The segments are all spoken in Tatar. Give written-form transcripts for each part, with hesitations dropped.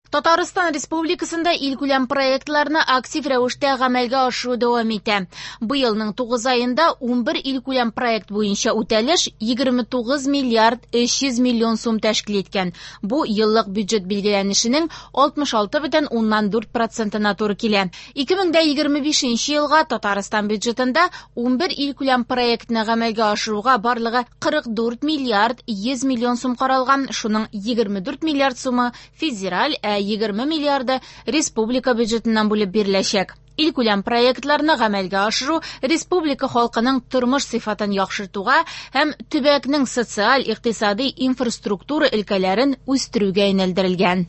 Татарстан Республикасында илкүләм проектларны актив рәвештә гамәлгә ашыру дәвам итә. Быелның 9 аенда 11 илкүләм проект буенча үтәлеш 29 миллиард 300 миллион сум тәшкил иткән. Бу еллык бюджет билгеләнешенең 66,4 процентына туры килә. 2025 елга Татарстан бюджетында 11 илкүләм проектны гамәлгә ашыруга барлыгы 44 миллиард 100 миллион сум каралган, шуның 24 миллиард сумы федераль, ә 20 миллиарды республика бюджетыннан бүлеп биреләчәк. Илкүләм проектларны гамәлгә ашыру республика халкының тормыш сыйфатын яхшыртуга һәм төбәкнең социаль, икътисади инфраструктура өлкәләрен үстерүгә юнәлдерелгән.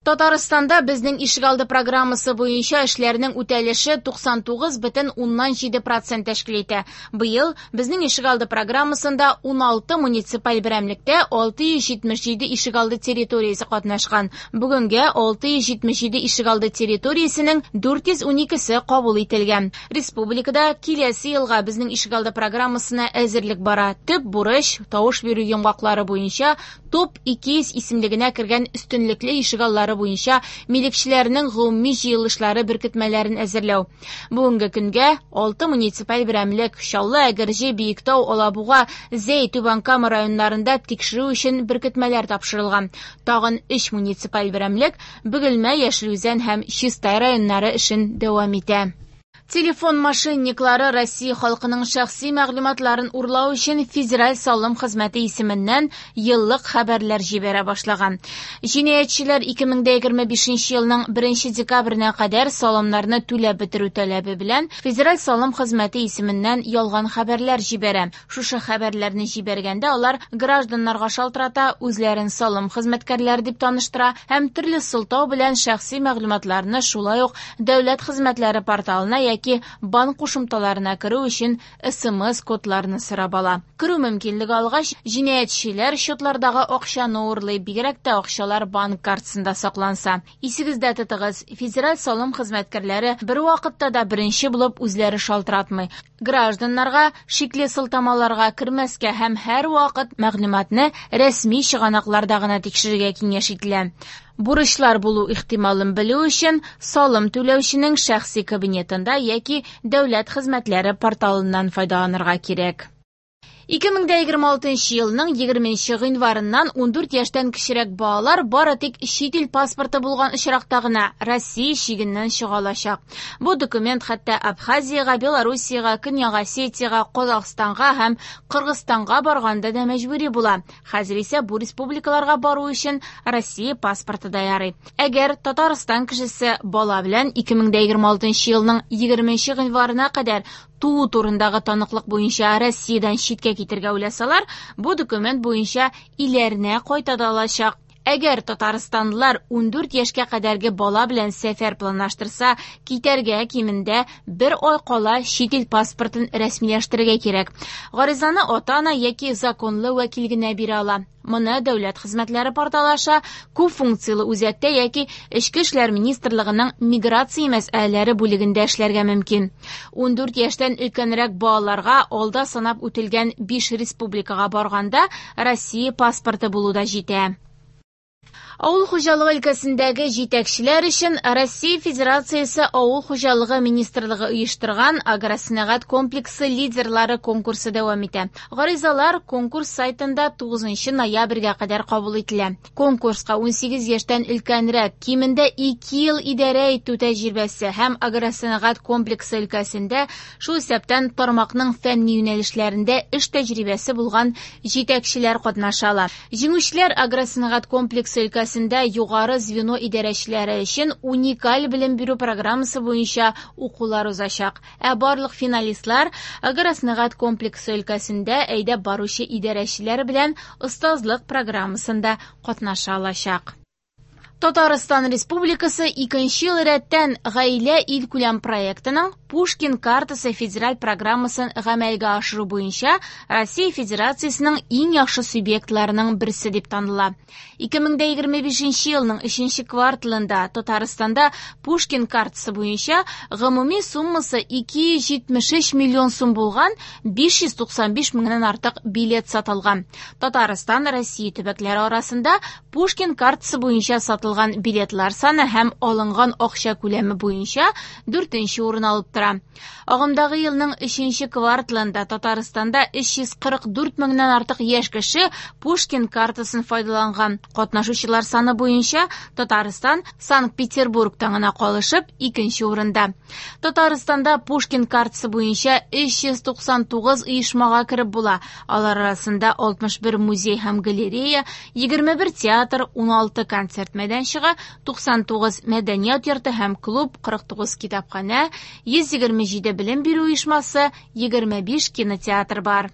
Татарстанда Безнең ишегалды программасы буенча эшләрнең үтәлеше 99,7 процент тәшкил итә. Быел Безнең ишегалды программасында 16 муниципаль берәмлектә 677 ишегалды территориясе катнашкан. Бүгенгә 677 ишегалды территориясенең 412-се кабул ителгән. Республикада киләсе елга Безнең ишегалды программасына әзерлек бара. Төп бурыч тавыш бирү йомгаклары буенча топ-200 исемлегенә кергән өстенлекле ишегаллары буенча милекчеләрнең гомуми җыелышлары беркетмәләрен әзерләү. Бүгенге көнгә 6 муниципаль берәмлек Чаллы, Әгерҗе, Биектау, Алабуга, Зәй, Түбән Кама районнарында тикшерү өчен беркетмәләр тапшырылган. Тагын 3 муниципаль берәмлек Бөгелмә, Яшел Үзән һәм Чистай районнары эшен дәвам итә. Телефон мошенниклары Россия халкының шәхси мәгълүматларын урлау өчен Федераль салым хезмәте исеменнән еллык хәбәрләр җибәрә башлаган. Җинаятьчеләр 2025 елның 1 декабренә кадәр салымнарны түләп бетерү таләбе белән Федераль салым хезмәте исеменнән ялган хәбәрләр җибәрә. Шушы хәбәрләрне җибәргәндә алар гражданнарга шалтырата, үзләрен салым хезмәткәрләре дип таныштыра һәм төрле сылтау белән шәхси мәгълүматларны шулай ук дәүләт хезмәтләре порталына яки банк кушымталарына керү өчен СМС кодларны сорап ала. Керү мөмкинлеге алгач, җинаятьчеләр счетлардагы акчаны урлый, бигрәк тә акчалар банк картасында сакланса. Исегездә тотыгыз, Федераль салым хезмәткәрләре бервакытта да беренче булып үзләре шалтыратмый. Гражданнарга шикле сылтамаларга кермәскә һәм һәрвакыт мәгълүматны рәсми чыганакларда гына тикшерергә киңәш ителә. Бурычлар булу ихтималын белү өчен салым түләүченең шәхси кабинетында яки дәүләт хезмәтләре порталыннан файдаланырга кирәк. 2026 елның 20 гыйнварыннан 14 яшьтән кечерәк балалар бары тик чит ил паспорты булган очракта гына Россия чигеннән чыга алачак. Бу документ хәтта Абхазиягә, Белоруссиягә, Көньяк Осетиягә, Казахстанга һәм Кыргызстанга барганда да мәҗбүри була. Хәзер исә бу республикаларга бару өчен Россия паспорты да ярый. Әгәр Татарстан кешесе бала белән 2026 елның 20 гыйнварына кадәр туу турындагы таныклык буенча Россиядән читкә китергә уйласалар, бу документ буенча иләренә кайта да алачак. Әгәр татарстанлылар 14 яшькә кадәрге бала белән сәфәр планлаштырса, китәргә кимендә бер ай кала чит ил паспортын рәсмиләштерергә кирәк. Гаризаны ата-ана яки законлы вәкил генә бирә ала. Моны дәүләт хезмәтләре порталы аша күп функцияле үзәктә яки Эчке эшләр министрлыгының миграция мәсьәләләре бүлегендә эшләргә мөмкин. 14 яшьтән өлкәнрәк балаларга алда санап үтелгән 5 республикага барганда Россия паспорты булу да җитә. Авыл хуҗалыгы өлкәсендәге җитәкчеләр өчен Россия Федерациясе Авыл хуҗалыгы министрлыгы оештырган Агросәнәгать комплексы лидерлары конкурсы дәвам итә. Гаризалар конкурс сайтында 9 ноябрьгә кадәр кабул ителә. Конкурска 18 яшьтән өлкәнрәк, кимендә 2 ел идарә итү тәҗрибәсе һәм агросәнәгать комплексы өлкәсендә, шул исәптән тармакның фәнни юнәлешләрендә эш тәҗрибәсе булган җитәкчеләр катнаша ала. Җиңүчеләр агросәнәгать комплексы өлкәсендә югары звено идарәчеләре өчен уникаль белем бирү программасы буенча укулар узачак. Ә барлык финалистлар агросәнәгать комплексы өлкәсендә әйдәп баручы идарәчеләр белән остазлык программасында катнаша алачак. Татарстан Республикасы икенче ел рәттән Гаилә илкүләм проектының Пушкин картасы федераль программасын гамәлгә ашыру буенча Россия Федерациясенең иң яхшы субъектларының берсе дип таныла. 2025 елның 3 кварталында Татарстанда Пушкин картасы буенча гомуми суммасы 273 миллион сум булган 595 меңнән артык билет сатылган. Татарстан Россия төбәкләре арасында Пушкин картасы буенча сатылган билетлар саны һәм алынган акча күләме буенча 4нче урын алып тора. Агымдагы елның 3 кварталында Татарстанда 344 меңнән артык яшь кеше Пушкин картасын файдаланган. Катнашучылар саны буенча Татарстан Санкт-Петербургтан гына калышып 2нче урында. Татарстанда Пушкин картасы буенча 399 оешмага кереп була. Алар арасында 61 музей һәм галерея, 21 театр, 16 концерт мәйданчыгы, 99 мәдәният йорты һәм клуб, 49 китапханә, 127 белем бирү оешмасы, 25 кинотеатр бар.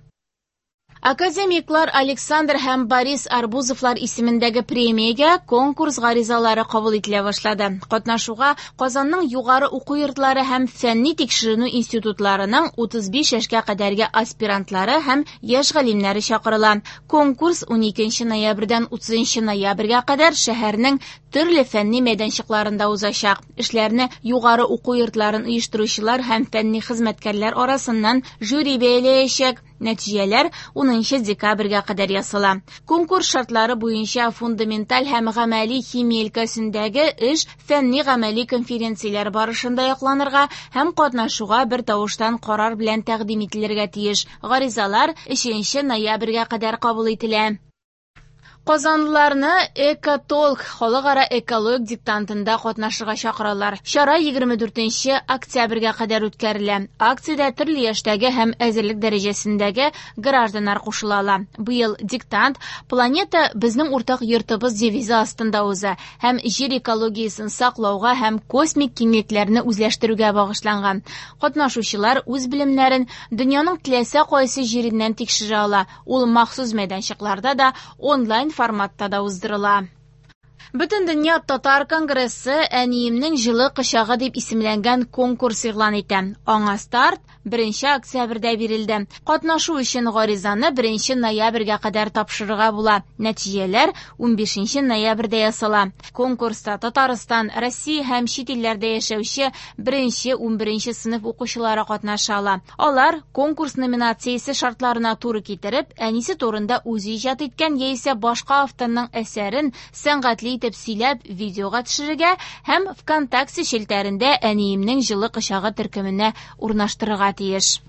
Академиклар Александр һәм Борис Арбузовлар исемендәге премиягә конкурс гаризалары кабул ителә башлады. Катнашуга Казанның югары уку йортлары һәм фәнни тикшеренү институтларының 35 яшькә кадәрге аспирантлары һәм яшь галимнәре чакырыла. Конкурс 12 ноябрьдән 30 ноябрьгә кадәр шәһәрнең төрле фәнни мәйданчыкларында узачак. Эшләрне югары уку йортларын оештыручылар һәм фәнни хезмәткәрләр арасыннан жюри бәяләячәк. Нәтиҗәләр 10 декабрьгә кадәр ясала. Конкурс шартлары буенча фундаменталь һәм гамәли химия өлкәсендәге эш фәнни гамәли конференцияләр барышында якланырга һәм катнашуга бер тавыштан карар белән тәкъдим ителергә тиеш. Гаризалар 3 ноябрьгә кадәр кабул ителә. Казанлыларны Экотолк халыкара экологик диктантында катнашырга чакыралар. Чара 24 октябрьгә кадәр үткәрелә. Акциядә төрле яшьтәге һәм әзерлек дәрәҗәсендәге гражданнар кушыла ала. Быел диктант «Планета безнең уртак йортыбыз» девизы астында уза һәм җир экологиясен саклауга һәм космик киңлекләрне үзләштерүгә багышланган. Катнашучылар үз белемнәрен дөньяның теләсә кайсы җиреннән тикшерә ала. Ул махсус мәйданчыкларда да, онлайн форматта да уздырыла. Бөтендөнья татар конгрессы «Әниемнең җылы кочагы» дип исемләнгән конкурс игълан итә. Аңа старт 1 октябрьдә бирелде. Катнашу өчен гаризаны 1 ноябрьгә кадәр тапшырырга була. Нәтиҗәләр 15 ноябрьдә ясала. Конкурста Татарстан, Россия һәм чит илләрдә яшәүче 1-11 сыйныф укучылары катнаша ала. Алар конкурс номинациясе шартларына туры китереп, әнисе турында үзе иҗат иткән яисә башка авторның әсәрен сәнгатьле итеп сөйләп видеога төшерергә һәм ВКонтакте челтәрендә «Әниемнең җылы кочагы» төркеменә урнаштырырга тиеш.